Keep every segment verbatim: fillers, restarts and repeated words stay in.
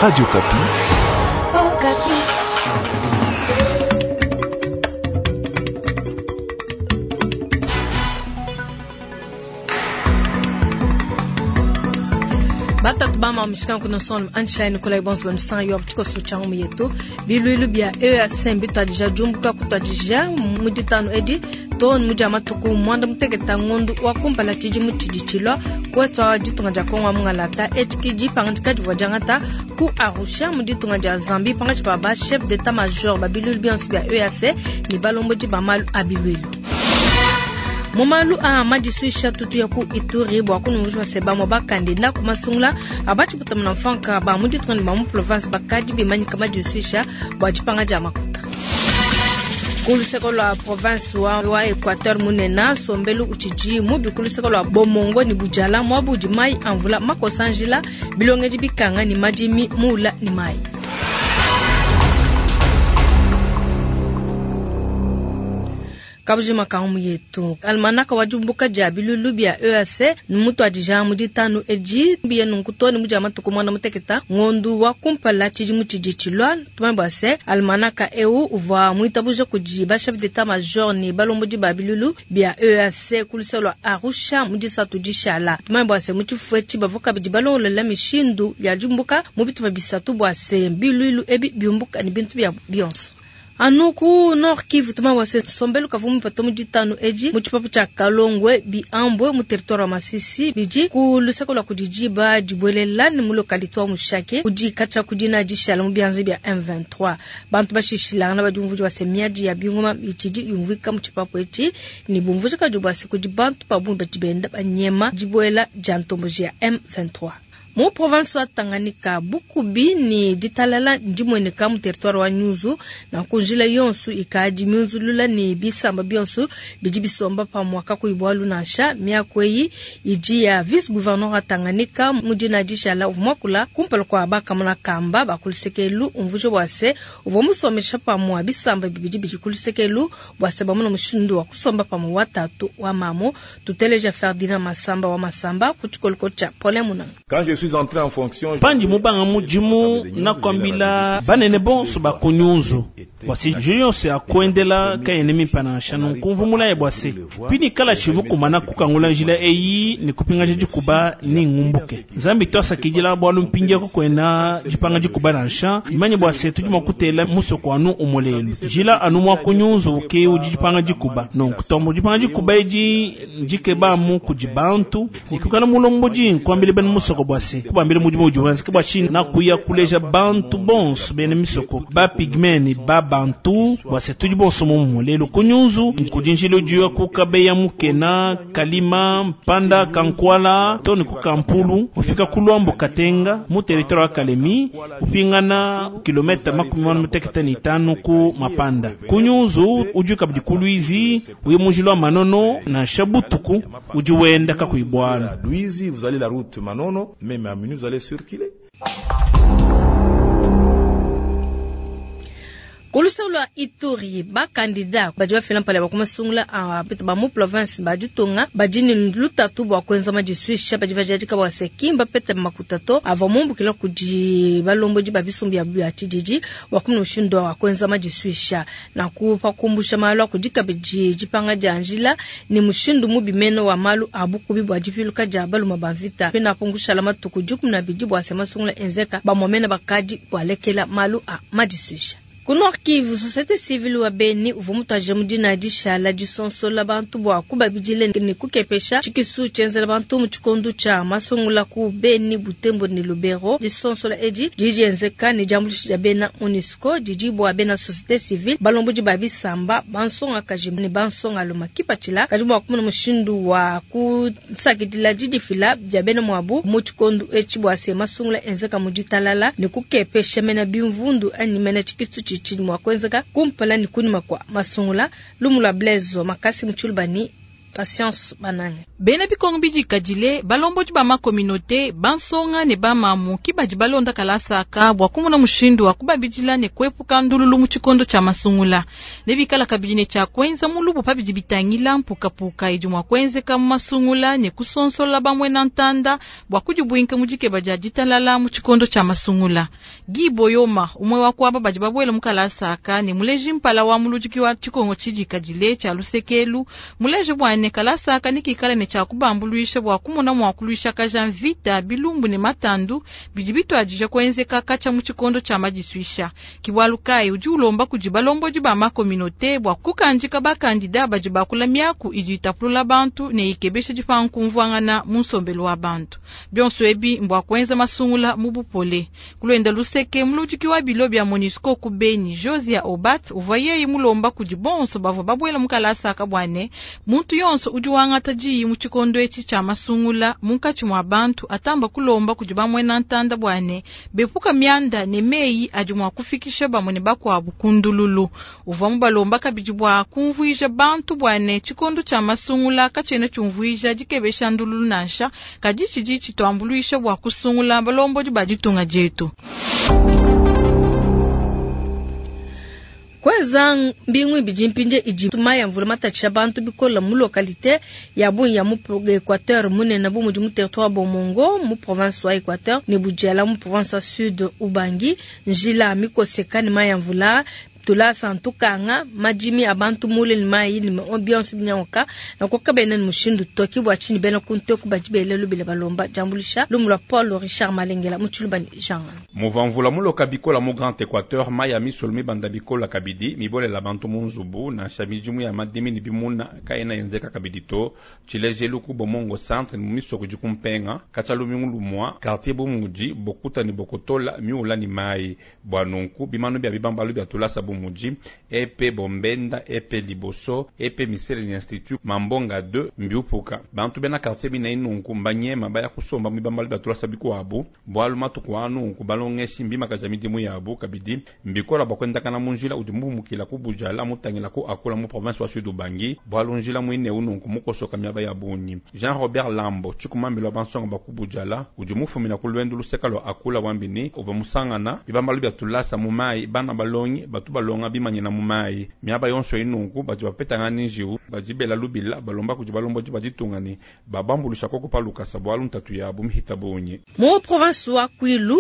Radio Okapi. Okapi. Batatu bama mishika kuno son anshai Nikolai Bonso banusan yo tiko sucha mu yetu bilwilu bya E A C bitwadija jumbuka kutwadija mu ditano edi to mu matuku mwanda muteketa ngondu wa kumpala tshidi mu tshidi tshilwa kwetwa ditunga dia Kongo mungalata etiki dipanga divua diangata ku Arusha mu ditunga dia Zambie panga ba chef d'état major ba bilwilu bionso bya E A C ni balombodi ba malu a bilwilu. Mumalu a madisuisha tutu ya ku Ituri bwa kunumvishwa seba mo bakandida kumasungula abachi butamna mfanka ba mu ditunga ba mu province bakadi bimanyika madisuisha bwa dipanga dia makuta. Kuluseko lwa province wa, wa Equateur munena sombelu utshidi mubi kuluseko lwa Bomongo ni Bujala mwabudi mai amvula makosanjila bilongedi bikanga ni madimi mula ni mai. Kabujima kaumu yetu almanaka wajumbuka dia bilulu bya E A C numutu adija muditanu edi biye nunkuto ni muja matuku mwana muteketa ngondu wa kumpala tshidi mutshidi tshilwa tumambo se almanaka eu uvwa muitabuja kudi ba chef d'état major ni balombodi ba bilulu bya E A C kuliselwa Arusha mudisatu dishala tumambo se mutifwe tshibavoka bidi balongolela mishindu ya jumbuka mubitu bisatu bwa se bilulu ebi biumbuka ni bintu bya bionso. Anuku Nord Kivu tuma wase sombelu kavumu patomu ditano eji muchipapu cha Kalongwe bi ambwe mu territoire wa Masisi biji ku luseko la kudijiba dibwelela ni mu localité wa Mushake kudi kacha kudina dishala mu bianze bya M vingt-trois bantu bashishilana na badumvuji wase miadi ya bingoma itidi yumvika muchipapu eti ni bumvuji kadubwa se kudi bantu pabumba dibenda banyema dibwela jantomboji ya M vingt-trois. Mu province wa Tanganyika bukubi ni ditalala ndimweneka mu territoire wa Nyuzu na kunjila yonsu ikadi myunzulula ni bisamba bionsu bidi bisomba pa mwaka kuibwalu nansha miakweyi idi ya vice gouverneur wa Tanganyika mudina dishala uvumwakula kumpala kwa bakamuna kamba bakulusekelu umvuje bwase uvwa musomesha pa mwa bisamba bibidi bidi kulusekelu bwase bamuna mushindu wa kusomba pa mwa watatu wa mamo tuteleja Ferdinand Masamba wa Masamba kuchikoliko cha Paulin Munanga. Quand je suis entré en fonction, pandi mubanga mujimu nakwambila banene bonso bakunyunzu wasi jiyonse akwendela kayene mipana shanu nkumvumula ebwase pini kala chimu kumana kukangula njila eyi ni kupinga jikuba ni ngumbuke Nzambi twasakidila bwalu mpingia kukwena jipanga jikuba na nsha imanye bwase tujima kutela musoko anu umolelu jila anu mwa kunyunzu uke ujipanga jikuba nonku tombo jipanga jikuba eji njikeba mu kujibantu nikukana mulomboji nkwambile bene musoko bwase kubambile mujimu ujuwanzi kibwa chini na kuya kuleja bantu bonso bene misoko ba pigmeni ba bantu bwase tuji bonso mumu lelo kunyunzu kujinjilo juya kukabeya mukena kalima mpanda kankwala toni kukampulu ufika kulwambo katenga mu territoire wa Kalemi upingana kilomita makumi mane mutekete ni tano ku mapanda kunyunzu ujuka bidi kulwizi uye mujilo manono na shabutuku ujuwenda kakuibwana Luizi, vous allez la route Manono, même à minuit vous allez circuler. Kulusaulwa Ituri ba kandida badi bafila mpala bakumasungula a ba mu province baditunga badini lutatu bwa kwenza madisuisha badi bajadika bwa sekimba pete makutato ava mumbukila kudi balombodi ba bisumbi ya bya tshididi wa kumuna mushindo wa kwenza madisuisha na kupa kumbusha malu akudika bidi jipanga dia njila ni mushindu mubi meno wa malu abukubi bwa dipiluka dia baluma ba mvita pena pungusha la matuku dikumi na bidi bwa semasungula enzeka bamwamena bakadi bwalekela malu a madisuisha. Ku Nord Kivu, société civile wa Beni uvua mutwaje mudina dishala disonsola bantu bwa kubabidile ni kukepesha tshikisu tshienzela bantu mu tshikondu tshia masungula ku Beni, Butembo ni Lubero. Disonsola edi didi enzeka ni diambuluisha dia bena MONUSCO didi bwa bena société civile balombodi ba bisamba bansonga kaji ni bansonga luma kipatshila kadi bua kumuna mushindu wa kusakidila didifila dia bena muabu mu tshikondu etshi bua se masungula enzeka mu ditalala ni kukepesha mena bimvundu anyi mena tshikisu tshi chini mwa kwenzeka kumpala ni kunyuma kwa masungula lumula Blaise makasi mchulubani Patience Banange. Bena bikongo bidikadile balombodi ba makominote bansonga ne bamamu ki badi balonda kalasaka bua kumona mushindu wa kubabidila ne kuepuka ndululu mu tshikondo tshia masungula ne bikala kabidi ne tshia kuenza mulubu pa bidi bitangila mpukapuka idi mua kuenzeka mu masungula ne kusonsola bamue na ntanda bua kudibuinka mu dikeba dia ditalala mu tshikondo tshia masungula. Guy Boyoma umwe wa kuaba badi babuela mu kalasaka ne muleji mpala wa muludiki wa tshikongo tshidikadile tshia lusekelu muleji bua ne kalasaka ne kikala ne tshia kubambuluisha bua kumona mua kuluisha kaja mvita bilumbu ne matandu bidi bituadija kuenzeka katshia mu tshikondo tshia madisuisha. Kibwalu kai udi ulomba kudi balombodi ba makominote bua kukandika bakandida badi bakula miaku idi itapulula bantu ne ikebesha dipankumvuangana mu nsombelu wa bantu. Bionso ebi mbwa kuenza masungula mu bupole. Kulwenda luseke muludiki wa bilo bya MONUSCO ku Beni Josia Obat uvua yeye mulomba kudi bonso bavua babuela mu kalasaka bua ne muntu yonso udi wangata diyi mu tshikondo etshi tshia masungula munkatshi mua bantu atamba kulomba kudi bamwena ntanda bua ne bepuka mianda ne meyi adi mua kufikisha bamwe ne bakuabu kundululu. Uvua mubalomba kabidi bua kumvuija bantu bua ne tshikondo tshia masungula katshiena tshiumvuija dikebesha ndululu nansha kadi tshidi tshituambuluisha bua kusungula balombodi ba ditunga dietu. Kweza mbingu ibidi mpinje idi maya mvula matatshisha bantu bikola mu localité ya bungi ya mu Equateur munene bu mudi mu territoire Bomongo mu province wa Equateur ne Budjala mu province wa Sud Ubangi njila mikoseka ne maya mvula tulasa ntukanga majimi abantu mule ni mayi ni ambiance binyangoka na koka bena ni mushindu toki bwa chini bena kunte ku bajibele lubile balomba jambulisha lumula Paul Richard Malengela muchuluba ni Jean Muvamvula muloka bikola mu Grand Equateur maya misolmi banda bikola kabidi mibole la bantu munzubu na shamijimu ya madimi ni bimuna kaena yenzeka kabidi to chilejelu ku Bomongo centre ni misoko jikumpenga kachalu lumwa quartier bumuji bokuta ni bokotola miula ni mai bwanunku bimanu bya bibambalu bya tulasa bumuji epe bombenda epe liboso epe misele ni institut mambonga deux mbiupuka bantu bena quartier bina inunku mbanyema baya kusomba mibambalu bya tulasa bikuabu bwalu matuku anu kubalongeshi mbima kaja midimu yabu kabidi mbikola bakwendakana munjila udi mumukila ku Bujala mutangila ku akula mu province wa Sud Ubangi bwalu njila mwine ununku mukosoka miaba ya bunyi Jean Robert Lambo chikumambilo bansonga baku Bujala udi mufumina ku lwendu luseka lwa akula wambini uva musangana bibambalu bya tulasa mu mai bana balongi batu balonga bimanyina mu mai miaba yonso inunku badi bapetanga ninjiu bajibela lubila balomba kudi balombo baditungani babambulisha koko palukasa bwalu ntatu yabu mihita bunyi mu province wa Kwilu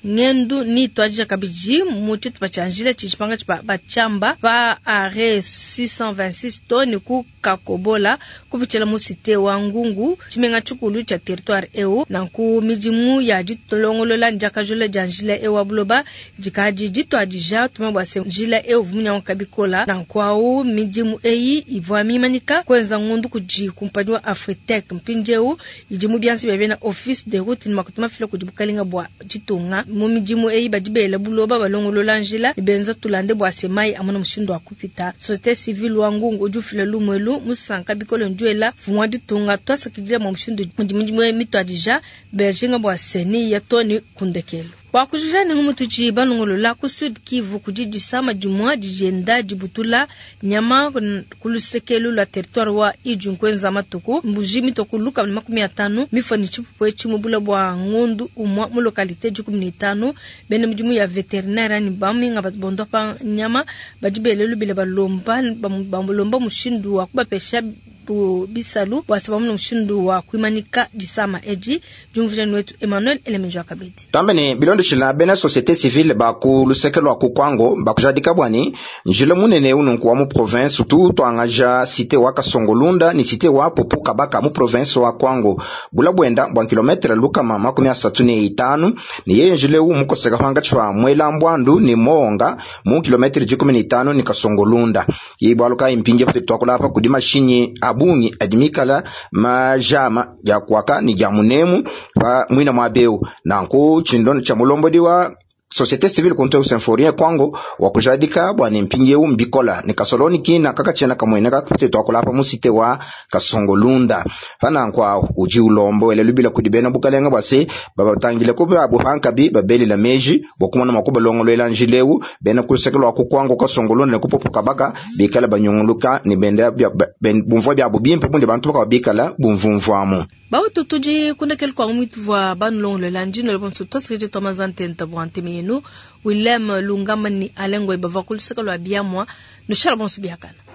ngendu ni twadija kabidi mu tshitupa tshia njila tshipanga tshipa bachamba pa are six cent vingt-six toni ku Kakobola kupitshila mu cité wa Ngungu tshimenga tshikulu tshia territoire eu nanku midimu ya ditolongolola ndiakajula dia njila eu wa buloba dikadi ditwadija tuma bua se njila eu vumunyango kabikola nanku au midimu eyi ivua mimanika kuenza ngundu kudi kumpani wa Afritec mpindieu idi mu biansi bia bena office de route ni makutuma fila kudi bukalinga bua ditunga mu midimu eyi badibela buloba balongolola njila benza tulande bua semai amona mushindu wa kupita société civile wa Ngungu udi ufila lumwelu musanka bikolo nduela fumwa ditunga twasakidila mwa mushindu mudimu eyi mitwadija bejinga bua seni ya toni kundekelo wakujuja ni ngumutuchi banongolola ku Sud Kivu kudidisa dimwa dijenda dibutula nyama kulusekelu la territoire wa Ijun matuku mbuji mitokuluka na makumi atano mifani chipupwe chimubula bwa ngundu umwa mu localité dikumi na itano bene mudimu ya veterinaire ni baminga bondo pa nyama badibele lubile balomba bamulomba mushindu wa kubapesha bisalu bwa sababu na mushindu wa kuimanika disama eji jumvuje wetu Emmanuel Elemenjo akabedi tambene bilondeshila bena société civile baku luseke lwa ku Kwango bakujadika bwani njila munene ununku wa mu province tu twangaja cité wa Kasongolunda ni cité wa Pupu Kabaka mu province wa Kwango bula bwenda bwa kilometre lukama makumi asatu ne itanu ni yeye njile u mukoseka hwanga chwa mwela mbwandu ni monga mu kilometre jikumi ne itanu ni Kasongolunda ibwaluka impinje twakula hapa kudi mashinyi abungi adimikala majama ya kwaka ni ja munemu pa mwina mwabeu nanku chindono cha mulombodi wa Société civile kuntu Symphorien Kwango wakujadika bwa ne mpindieu mbikola ne kasoloni kina kakatshiena kamueneka kupite tuakula mu cité wa Kasongolunda panankwa uji ulombo ele lubila kudi bena bukalenga bwa se babatangile ko babo pankabi babelela meji bwa kumona makuba njileu bena kuluseke lwa kukwango Kasongolunda ne kupopo kabaka bikala banyunguluka ne benda ben, bumvua byabo bimpe bunde bantu bakaba bumvumvuamu bautu tudi kundekele kwa mwituvua banulongolola ndino lebonso tosikije twamazantenta bua ntemi yenu Willem Lungama ni Alengo ibava kuluseke lwa biamwa nushala bonso biakana.